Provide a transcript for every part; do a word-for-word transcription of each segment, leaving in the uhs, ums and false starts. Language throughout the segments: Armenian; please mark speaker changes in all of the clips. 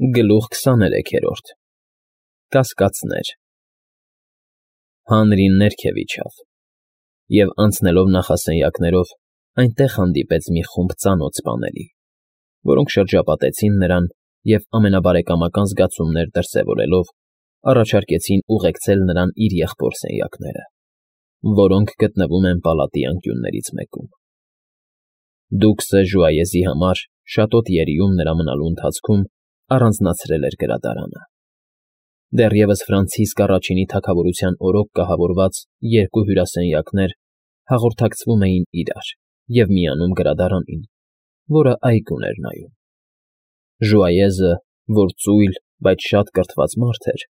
Speaker 1: Գլուխ քսաներեքերորդ Կասկածներ Հանրին ներքև իջավ, և անցնելով նախասենյակներով, այնտեղ հանդիպեց մի խումբ ծանոթ սպաների, որոնք շրջապատեցին նրան և, ամենաբարեկամական զգացումներ դրսևորելով, առաջարկեցին ուղեկցել նրան իր եղբոր սենյակները, որոնք գտնվում են պալատի անկյուններից մեկում։ Դուքսը Ժուայեզի համար շատոտ երիում նրա մնալու ընթացքում առանձնացրել էր գրադարանը։ Դեռևս Ֆրանցիսկ առաջինի թագավորության օրոք կահավորված երկու հյուրասենյակներ հաղորդակցվում էին իրար և միանում գրադարանին, որը այգուն էր նայում։ Ժուայեզը, որ ծույլ, բայց շատ կրթված մարդ էր,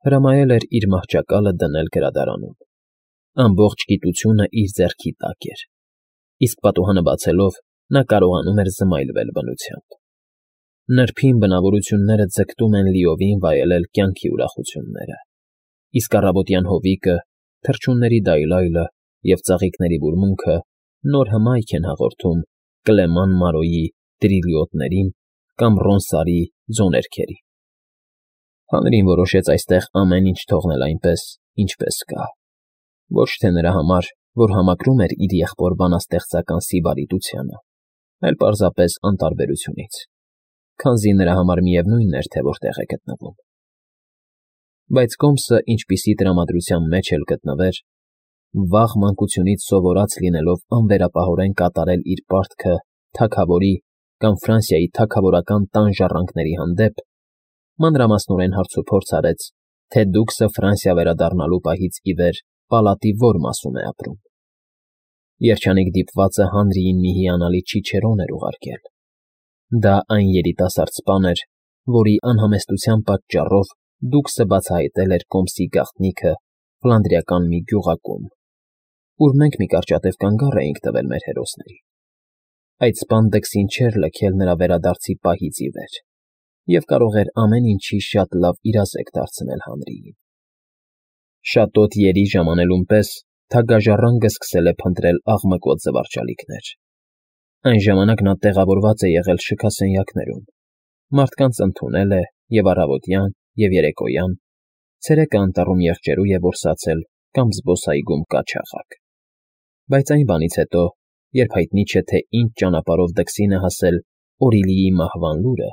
Speaker 1: հրամայել էր իր մահճակալը դնել գրադարանում։ Ամբողջ գիտությունը իր ձեռքի տակ էր, իսկ պատուհանը բացելով նա կարողանում էր զմայլվել բնությամբ։ Նրբին բնավորությունները ձգտում են լիովին վայելել կյանքի ուրախությունները, իսկ առավոտյան հովիկը, թռչունների դայլայլը և ծաղիկների բուրմունքը նոր հմայք են հաղորդում Կլեման Մարոյի տիրիլյոտներին կամ Ռոնսարի ձոներքերին։ Հանրին որոշեց այստեղ ամեն ինչ թողնել այնպես, ինչպես կա, ոչ թե նրա համար, որ համակրում էր իր եղբոր բանաստեղծական սիբարիտությանը, այլ պարզապես անտարբերությունից, քանզի նրա համար միևնույն էր, թե որտեղ է գտնվում։ Բայց Կոմսը, ինչպիսի տրամադրության մեջ էլ գտնվեր, վաղ մանկությունից սովորած լինելով անվերապահորեն կատարել իր պարտքը թագավորի կամ Ֆրանսիայի թագավորական տան ժառանգների հանդեպ, մանրամասնորեն հարցուփորձ արեց, թե Դուքսը Ֆրանսիա վերադառնալու պահից ի վեր պալատի ո՞ր մասում է ապրում։ Երջանիկ դիպվածը Հանրիին մի հիանալի չիչերոն էր ուղարկել։ Դա այն երիտասարդ սպան էր, որի անհամեստության պատճառով Դուքսը բացահայտել էր Կոմսի գաղտնիքը ֆլանդրիական մի գյուղակում, ուր մենք մի կարճատև կանգառ էինք տվել մեր հերոսներին։ Այդ սպան դքսին չէր լքել նրա վերադարձի պահից ի վեր և կարող էր ամեն ինչի շատ լավ իրազեկ դարձնել Հանրիին։ Շատոտ երի ժամանելուն պես թագաժառանգը սկսել է փնտրել աղմկոտ զվարճալիքներ։ Այն ժամանակ նա տեղավորված է եղել շքասենյակներում, մարդկանց ընդունել է և առավոտյան, և երեկոյան, ցերեկը անտառում եղջերու է որսացել կամ զբոսայգում կաչաղակ։ Բայց այն բանից հետո, երբ հայտնի չէ, թե ինչ ճանապարհով դքսին է հասել Օրիլիի մահվան լուրը,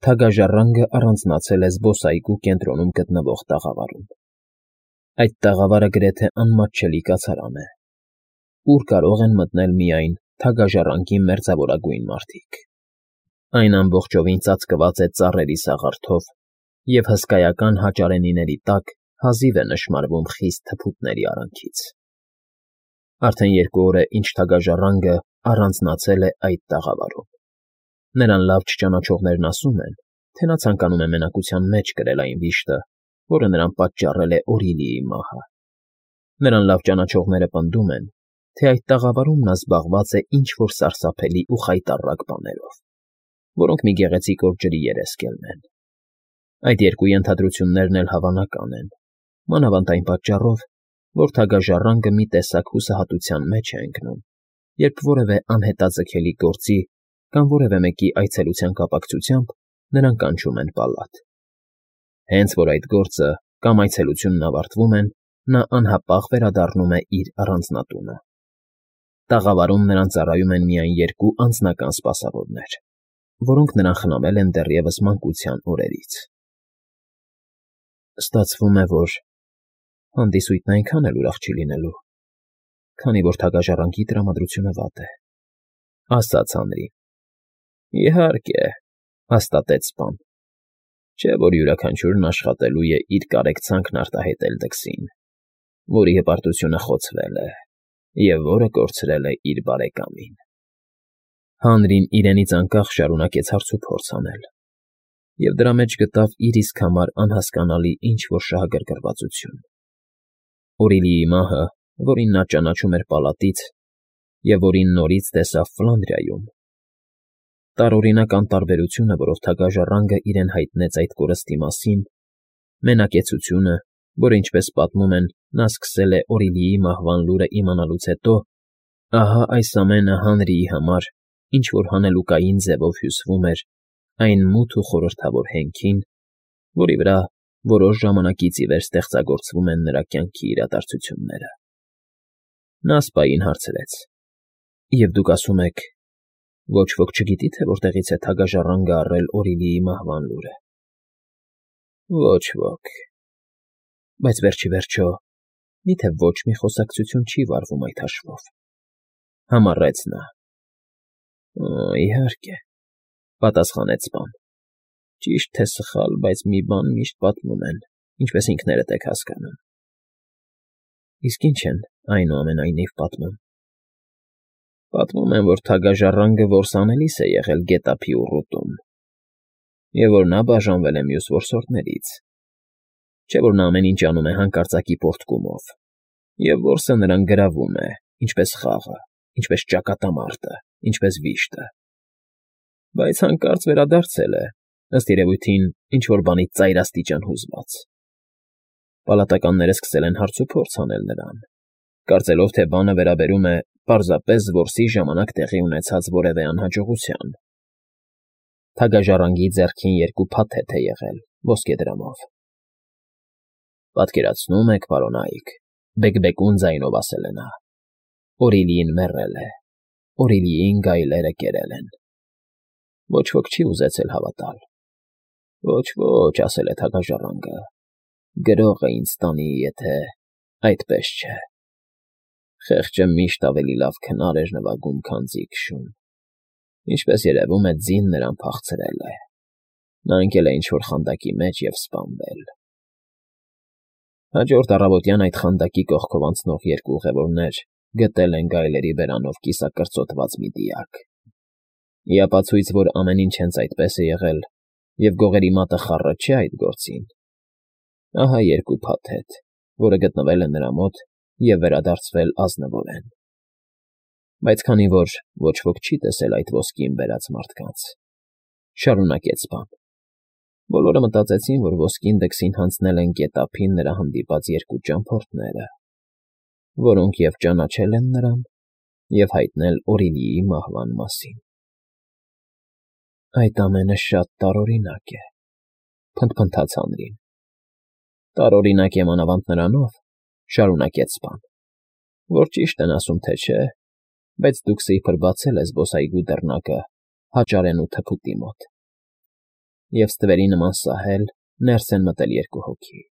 Speaker 1: թագաժառանգը առանձնացել է զբոսայգու կենտրոնում գտնվող տաղավարում։ Այդ տաղավարը գրեթե անմատչելի կացարան է, ուր կարող են մտնել միայն թագաժառանգի մերձավորագույն մարդիկ։ Այն ամբողջովին ծածկված է ծառերի սաղարթով և հսկայական հաճարենիների տակ հազիվ է նշմարվում խիստ թփուտների արանքից։ Արդեն երկու օր է, ինչ թագաժառանգը առանձնացել է այդ տաղավարում։ Նրան լավ չճանաչողներն ասում են, թե նա ցանկանում է մենակության մեջ կրել այն վիշտը, որը նրան պատճառել է Օրիլիի մահը։ Նրան լավ ճանաչողները պնդում են, թե այդ տաղավարում նա զբաղված է ինչ֊որ սարսափելի ու խայտառակ բաներով, որոնք մի գեղեցիկ օր ջրի երես կելնեն։ Այդ երկու ենթադրություններն էլ հավանական են, մանավանդ այն պատճառով, որ թագաժառանգը մի տեսակ հուսահատության մեջ է ընկնում, երբ որևէ անհետաձգելի գործի կամ որևէ մեկի այցելության կապակցությամբ նրան կանչում են պալատ։ Հենց որ այդ գործը կամ այցելությունն ավարտվում են, նա անհապաղ վերադառնում է իր առանձնատունը։ Տաղավարում նրան ծառայում են միայն երկու անձնական սպասավորներ, որոնք նրան խնամել են դեռևս մանկության օրերից։ Ստացվում է, որ հանդիսույթն այնքան էլ ուրախ չի լինելու, քանի որ թագաժառանգի տրամադրությունը վատ է, ֊ ասաց Հանրին։ ֊ Իհարկե, ֊ հաստատեց սպան, ֊ չէ՞ որ յուրաքանչյուրն աշխատելու է իր կարեկցանքն արտահայտել դքսին, որի հպարտությունը խոցվել է և որը կորցրել է իր բարեկամին։ Հանրին իրենից անկախ շարունակեց հարցուփորձ անել, և դրա մեջ գտավ իր իսկ համար անհասկանալի ինչ֊որ շահագրգռվածություն։ Օրիլիի մահը, որին նա ճանաչում էր պալատից և որին նորից տեսավ Ֆլանդրիայում, տարօրինակ անտարբերությունը, որով թագաժառանգը իրեն հայտնեց այդ կորստի մասին, մենակեցությունը, որը, ինչպես պատմում են, նա սկսել է Օրիլիի մահվան լուրը իմանալուց հետո, ահա այս ամենը Հանրիի համար ինչ֊որ հանելուկային ձևով հյուսվում էր այն մութ ու խորհրդավոր հենքին, որի վրա որոշ ժամանակից ի վեր ստեղծագործվում են նրա կյանքի իրադարձությունները։ Նա սպային հարցրեց. «Եվ դուք ասում եք, ոչ ոք չգիտի, թե որտեղից է թագաժառանգը առել Օրիլիի մահվան լուրը»։ Ոչ ոք։ Բայց վերջ ի վերջո, միթե ոչ մի խոսակցություն չի վարվում այդ հաշվով,֊ համառեց նա։ Օ, իհարկե,֊ պատասխանեց սպան։ Ճիշտ թե սխալ, բայց մի բան միշտ պատմում են, ինչպես ինքներդ եք հասկանում։ Իսկ ի՞նչ են, այնուամենայնիվ, պատմում։ Պատմում են, որ թագաժառանգը որս անելիս է եղել գետափի ուռուտում, և որ նա բաժանվել է մյուս որսորդներից, չէ՞ որ նա ամեն ինչ անում է հանկարծակի պոռթկումով, և որսը նրան գրավում է, ինչպես խաղը, ինչպես ճակատամարտը, ինչպես վիշտը, բայց հանկարծ վերադարձել է, ըստ երևույթին, ինչ֊որ բանից ծայրաստիճան հուզված։ Պալատականները սկսել են հարցուփորձ անել նրան, կարծելով, թե բանը վերաբերում է պարզապես որսի ժամանակ տեղի ունեցած որևէ անհաջողության։ Թագաժառանգի ձեռքին երկու փաթեթ է եղել ոսկեդրամով։ Պատկերացնո՞ւմ եք, պարոնայք,֊ բեկբեկուն ձայնով ասել է նա,֊ Օրիլիին մեռել է, Օրիլիին գայլերը կերել են։ Ոչ ոք չի ուզեցել հավատալ։ Ոչ, ոչ, ասել է թագաժառանգը, գրողը ինձ տանի, եթե այդպես չէ։ Խեղճը միշտ ավելի լավ քնար էր նվագում, քան ձիգ֊շուն։ Ինչպես երևում է, ձին նրան փախցրել է։ Նա ընկել է ինչ֊որ խանդակի մեջ և սպանվել։ Հաջորդ առավոտյան այդ խանդակի կողքով անցնող երկու ուղևորներ գտել են գայլերի բերանով կիսակրծոտված մի դիակ։ Ի ապացույց, որ ամեն ինչ հենց այդպես է եղել, և գողերի մատը խառը չէ այդ գործին, ահա երկու փաթեթ, որը գտնվել է նրա մոտ և վերադարձվել ազնվորեն։ Բայց քանի որ ոչ ոք չի տեսել այդ ոսկին բերած մարդկանց, շարունակեց սպան, բոլորը մտածեցին, որ ոսկին դքսին հանձնել են գետափին նրա հանդիպած երկու ճամփորդները, որոնք և ճանաչել են նրան, և հայտնել Օրիլիի մահվան մասին։ Այդ ամենը շատ տարօրինակ է,֊ փնթփնթաց Հանրին։ Տարօրինակ է մանավանդ նրանով,֊ շարունակեց սպան, որ ճիշտ են ասում, թե չէ, բայց դուք սիրբր բացել է զբոսայգու դռնակը հաճարենու թփուտի մոտ, և ստվերի նման սահել ներս են մտել երկու հոգի։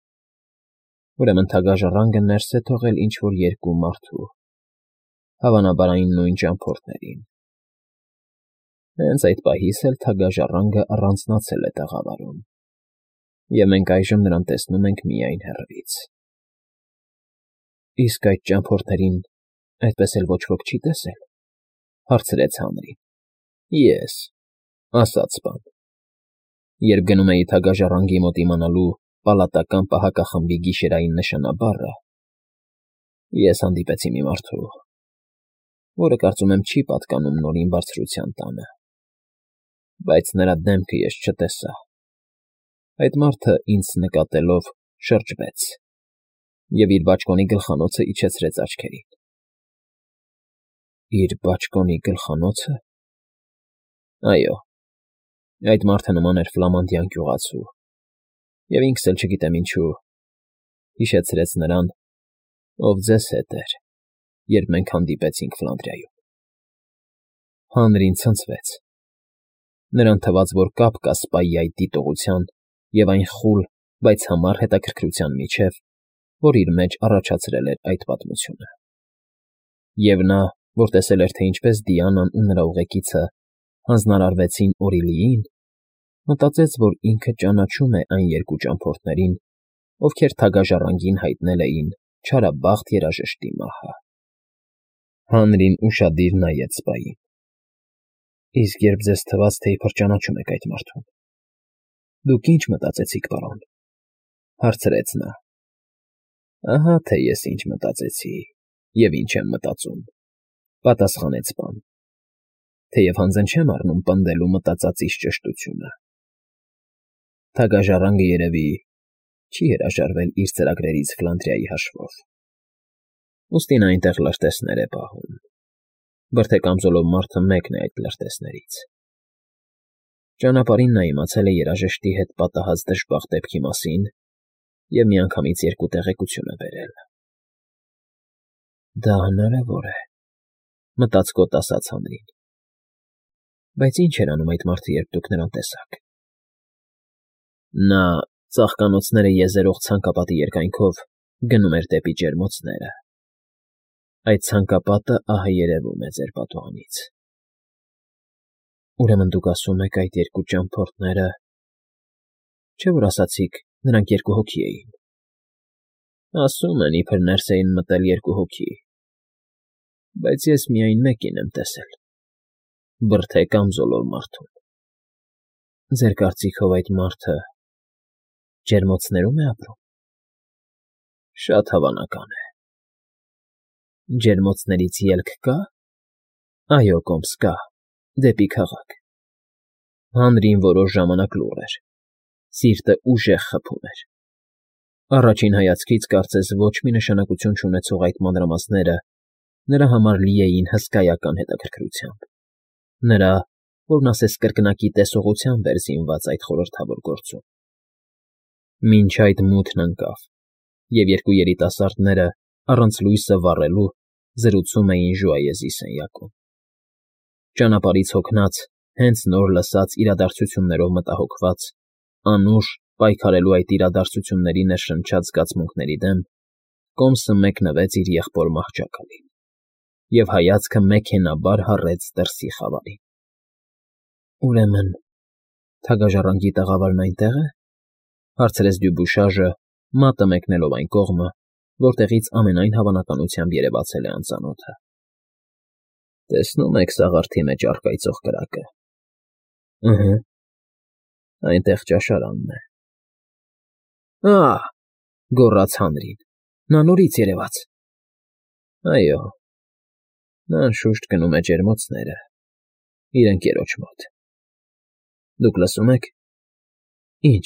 Speaker 1: Ուրեմն թագաժառանգը ներս է թողել ինչ֊որ երկու մարդու, հավանաբար այն նույն ճամփորդներին։ Հենց այդ պահից էլ թագաժառանգը առանձնացել է տաղավարում, և մենք այժմ նրան տեսնում ենք միայն հեռվից։ ֊ Իսկ այդ ճամփորդներին այդպես էլ ոչ ոք չի տեսե՞լ,֊ հարցրեց Հանրին։ ֊ Ես,֊ ասաց սպան։ Երբ գնում էի թագաժառանգի մոտ իմանալու պալատական պահակախմբի գիշերային նշանաբառը, ես հանդիպեցի մի մարդու, որը, կարծում եմ, չի պատկանում Նորին Բարձրության տանը, բայց նրա դեմքը ես չտեսա։ Այդ մարդը, ինձ նկատելով, շրջվեց և իր բաճկոնի գլխանոցը իջեցրեց աչքերին։ ֊ Իր բաճկոնի գլխանո՞ցը։ Այո, այդ մարդը նման էր ֆլամանդյան գյուղացու, և ինքս էլ չգիտեմ ինչու, հիշեցրեց նրան, ով ձեզ հետ էր, երբ մենք հանդիպեցինք Ֆլանդրիայում։ Հանրին ցնցվեց. նրան թվաց, որ կապ կա սպայի այդ դիտողության և այն խուլ, բայց համառ հետաքրքրության միջև, որ իր մեջ առաջացրել էր այդ պատմությունը։ Եվ նա, որ տեսել էր, թե ինչպես Դիանան ու նրա ուղեկիցը հանձնարարվեցին Օրիլիին, մտածեց, որ ինքը ճանաչում է այն երկու ճամփորդներին, ովքեր թագաժառանգին հայտնել էին չարաբասխտ երաժշտի մահը։ Հանրին ուշադիր նայեց սպային։ ֊ Իսկ երբ ձեզ թվաց, թե իբր ճանաչում եք այդ մարդուն, դուք ի՞նչ մտածեցիք, պարոն,֊ հարցրեց նա։ ֊ Ահա թե ես ինչ մտածեցի և ինչ եմ մտածում,֊ պատասխանեց սպան, թեև հանձն չեմ առնում պնդելու մտածածիս ճշտությունը։ Թագաժառանգը, երևի, չի հրաժարվել իր ծրագրերից Ֆլանդրիայի հաշվով, ուստի նա այնտեղ լրտեսներ է պահում, բրդե կամզոլով մարդը մեկն է այդ լրտեսներից։ Ճանապարհին նա իմացել է երաժշտի հետ պատահած դժբախտ դեպքի մասին և միանգամից երկու տեղեկություն է բերել։ «Դա հնարավոր է,֊ մտածկոտ ասաց Հանրին։֊ Բայց ի՞նչ էր անում այդ մարդը, երբ դուք նրան տեսաք»։ Նա ծաղկանոցները եզերող ցանկապատի երկայնքով գնում էր դեպի ջերմոցները։ Այդ ցանկապատը ահա երևում է ձեր պատուհանից։ Ուրեմն դուք ասում եք այդ երկու ճամփորդները… Չէ՞ որ ասացիք, նրանք երկու հոգի էին։ Ասում են, իբր ներս էին մտել երկու հոգի, բայց ես միայն մեկին եմ տեսել՝ բրդե կամ զոլոր մարդուն։ Ձեր կարծիքով այդ մարդը ջերմոցներո՞ւմ է ապրում։ Շատ հավանական է։ Ջերմոցներից ելք կա՞։ Այո, կոմս կա, դեպի քաղաք։ Հանրին որոշ ժամանակ լուռ էր, սիրտը ուժեղ խփում էր։ Առաջին հայացքից կարծես ոչ մի նշանակություն չունեցող այդ մանրամասները նրա համար լի էին հսկայական հետաքրքրությամբ, նրա, որն ասես կրկնակի տեսողությամբ էր զինված այդ խորհրդավոր գործում։ Մինչ այդ մութն ընկավ, և երկու երիտասարդները, առանց լույսը վառելու, զրուցում էին ժուայեզի սենյակում։ Ճանապարհից հոգնած, հենց նոր լսած իրադարձություններով մտահոգված, անուշ պայքարելու այդ իրադարձությունների ներշնչած զգացմունքների դեմ, կոմսը մեկնվեց իր եղբոր մահճակալին և հայացքը մեքենայաբար հառեց դրսի խավարին։ «Ուրեմն թագաժառանգի տաղավարն այնտե՞ղ է,֊ հարցրեց Դյուբուշաժը, մատը մեկնելով այն կողմը, որտեղից ամենայն հավանականությամբ երևացել է անծանոթը։ Տեսնում եք սաղարթի մեջ առկայծող կրակը։ Ըհը, այնտեղ ճաշարանն է։ Ա՜,֊ գոռաց Հանրին։֊ Նա նորից երևաց։ Այո, նա անշուշտ գնում է ջերմոցները, իր ընկերոջ մոտ։ Դուք լսո՞ւմ եք։ Ի՞նչ։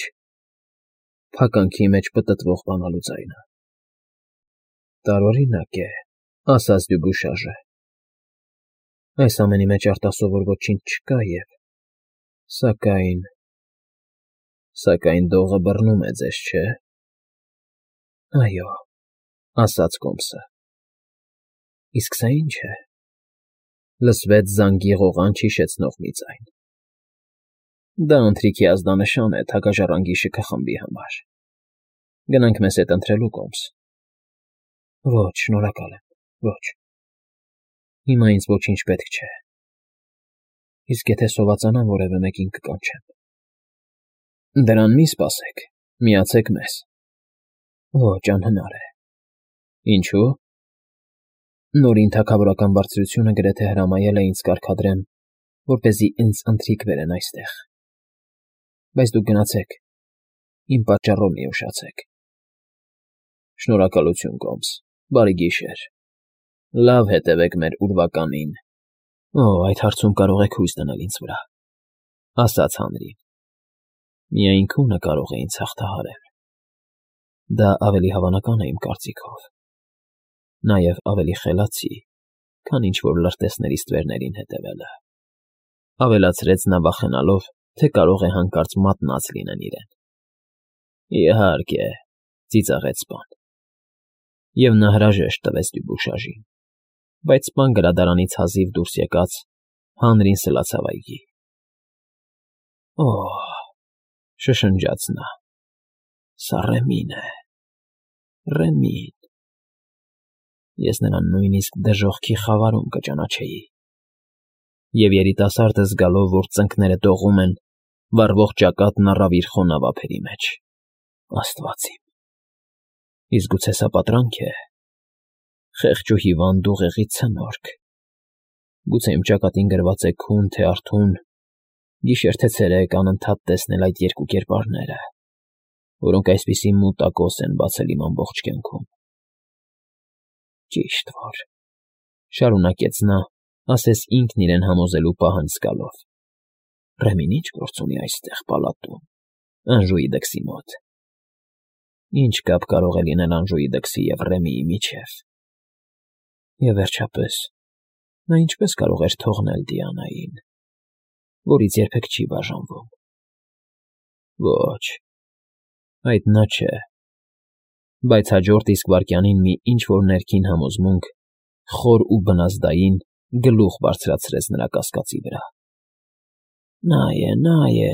Speaker 1: Փականքի մեջ պտտվող բանալու ձայնը։ Տարօրինակ է,֊ ասաց Դյուբուշաժը։ Այս ամենի մեջ արտասովոր ոչինչ չկա և… Սակայն… Սակայն դողը բռնում է ձեզ, չէ՞։ Այո,֊ ասաց կոմսը։ Իսկ սա ի՞նչ է։ Լսվեց զանգի ղողանջ հիշեցնող մի ձայն։ Դա ընթրիքի ազդանշան է թագաժառանգի շքխմբի համար։ Գնանք մեզ հետ ընթրելու, կոմս։ Ոչ, շնորհակալ եմ, ոչ… Հիմա ինձ ոչինչ պետք չէ։ Իսկ եթե սովածանամ, որևէ մեկին կկանչեմ։ Դրան մի սպասեք, միացեք մեզ։ Ոչ, անհնար է։ Ինչո՞ւ։ Նորին թագավորական բարձրությունը գրեթե հրամայել է ինձ կարգադրեմ, որպեսզի ինձ ընթրիք բերեն այստեղ։ Բայց դուք գնացեք, իմ պատճառով մի ուշացեք։ Շնորհակալություն, կոմս, բարի գիշեր։ Լավ հետևեք մեր ուրվականին։ Օ, այդ հարցում կարող եք հույս դնել ինձ վրա,֊ ասաց Հանրին։ Միայն քունը կարող է ինձ հաղթահարել։ Դա ավելի հավանական է իմ կարծիքով։ Նաև ավելի խելացի, քան ինչ֊որ լրտեսների ստվերներին հետևելը,֊ ավելացրեց նա վախենալով, թե կարող է հանկարծ մատնած լինեն իրեն։ Իհարկե,֊ ծիծաղեց սպան։ Եվ նա հրաժեշտ տվեց Դյուբուշաժին, բայց սպան գրադարանից հազիվ դուրս եկած, Հանրին սլացավ այգի։ Օ՜հ,֊ շշնջաց նա,֊ սա Ռեմին է… Ռեմին… Ես նրան նույնիսկ դժոխքի խավարում կճանաչեի… Եվ երիտասարդը զգալով, որ ծնկները դողում են, վառվող ճակատն առավ իր խոնավ ափերի մեջ։ Աստված իմ… Իսկ գուցե սա պատրանք է… Խեղճ ու հիվանդ ուղեղի ցնորք… Գուցե իմ ճակատին գրված է քուն թե արթուն, գիշեր թե ցերեկ անընդհատ տեսնել այդ երկու կերպարները, որոնք այսպիսի մութակոս են բացել իմ ամբողջ կյանքում… Ճիշտ որ,֊ շարունակեց նա, ասես ինքն իրեն համոզելու պահանջ զգալով,֊ Ռեմին ի՞նչ գործ ունի այստեղ, պալատում, Անժուի դքսի մոտ… Ի՞նչ կապ կարող է լինել Անժուի դքսի և Ռեմիի միջև… Եվ վերջապես, նա ինչպե՞ս կարող էր թողնել Դիանային… որից երբեք չի բաժանվում։ Ոչ, այդ նա չէ, բայց հաջորդ իսկ վայրկյանին մի ինչ֊որ ներքին համոզմունք, խոր ու բնազդային, գլուխ բարձրացրեց նրա կասկածի վրա։ Նա է, նա է,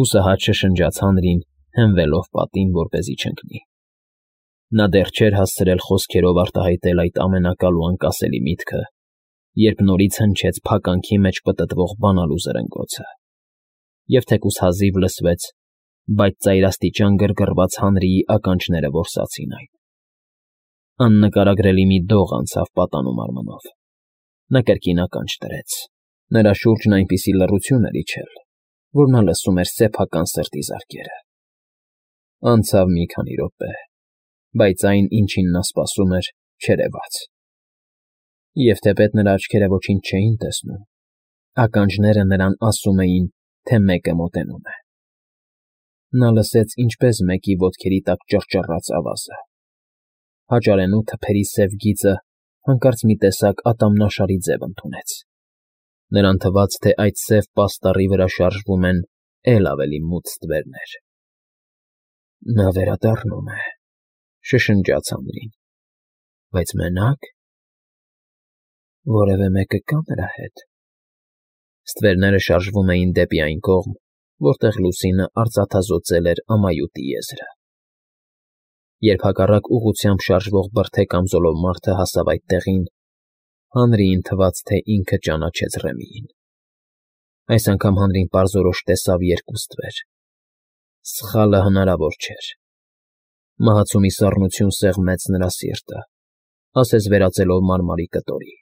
Speaker 1: հուսահատ շշնջաց Հանրին, հենվելով պատին, որպեսզի չընկնի։ Նա դեռ չէր հասցրել խոսքերով արտահայտել այդ ամենակալ ու անկասելի միտքը, երբ նորից հնչեց փականքի մեջ պտտվող բանալու զրնգոցը, և թեկուզ հազիվ լսվեց, բայց ծայրաստիճան գրգռված Հանրիի ականջները որսացին այն։ Աննկարագրելի մի դող անցավ պատանու մարմնով։ Նա կրկին ականջ դրեց։ Նրա շուրջն այնպիսի լռություն էր իջել, որ նա լսում էր սեփական սրտի զարկերը։ Անցավ մի քանի րոպե, բայց այն, ինչին նա սպասում էր, չերևաց։ Եվ թեպետ նրա աչքերը ոչինչ չէին տեսնում, ականջները նրան ասում էին, թե մեկը մոտենում է։ Նա լսեց, ինչպես մեկի ոտքերի տակ ճռճռաց ավազը։ Հաճարենու թփերի սև գիծը հանկարծ մի տեսակ ատամնաշարի ձև ընդունեց։ Նրան թվաց, թե այդ սև պաստառի վրա շարժվում են էլ ավելի մութ ստվերներ։ Նա վերադառնում է, շշնջաց Հանրին, բայց մենա՞կ։ Որևէ մեկը կա՞ նրա հետ։ Ստվերները շարժվում էին դեպի այն կողմ, որտեղ լուսինը արծաթազօծել էր ամայութի եզրը։ Երբ հակառակ ուղղությամբ շարժվող բրդե կամզոլով մարդը հասավ այդ տեղին, Հանրիին թվաց, թե ինքը ճանաչեց Ռեմիին։ Այս անգամ Հանրին պարզորոշ տեսավ երկու ստվեր։ Սխալը հնարավոր չէր։ Մահացու մի սառնություն սեղմեց նրա սիրտը, ասես վերածելով մարմարի կտորի։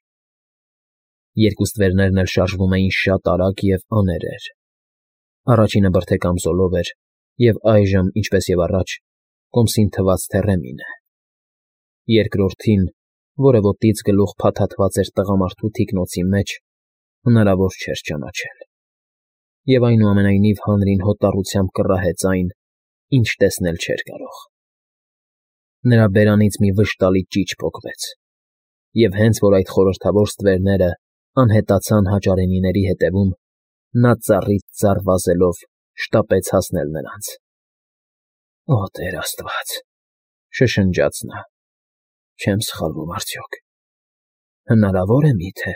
Speaker 1: Երկու ստվերներն էլ շարժվում էին շատ արագ և աներեր։ Առաջինը բրդե կամզոլով էր և այժմ, ինչպես և առաջ, կոմսին թվաց, թե Ռեմին է։ Երկրորդին, որը ոտքից գլուխ փաթաթված էր տղամարդու թիկնոցի մեջ, հնարավոր չէր ճանաչել։ Եվ այնուամենայնիվ Հանրին հոտառությամբ կռահեց այն, ինչ տեսնել չէր կարող։ Նրա բերանից մի վշտալի ճիչ պոկվեց, և հենց որ այդ խորհրդավոր ստվերները անհետացան հաճարենիների ետևում, նա ծառից ծառ վազելով շտապեց հասնել նրանց։ Օ Տեր աստված, շշնջաց նա, չեմ սխալվում արդյոք, հնարավո՞ր է միթե։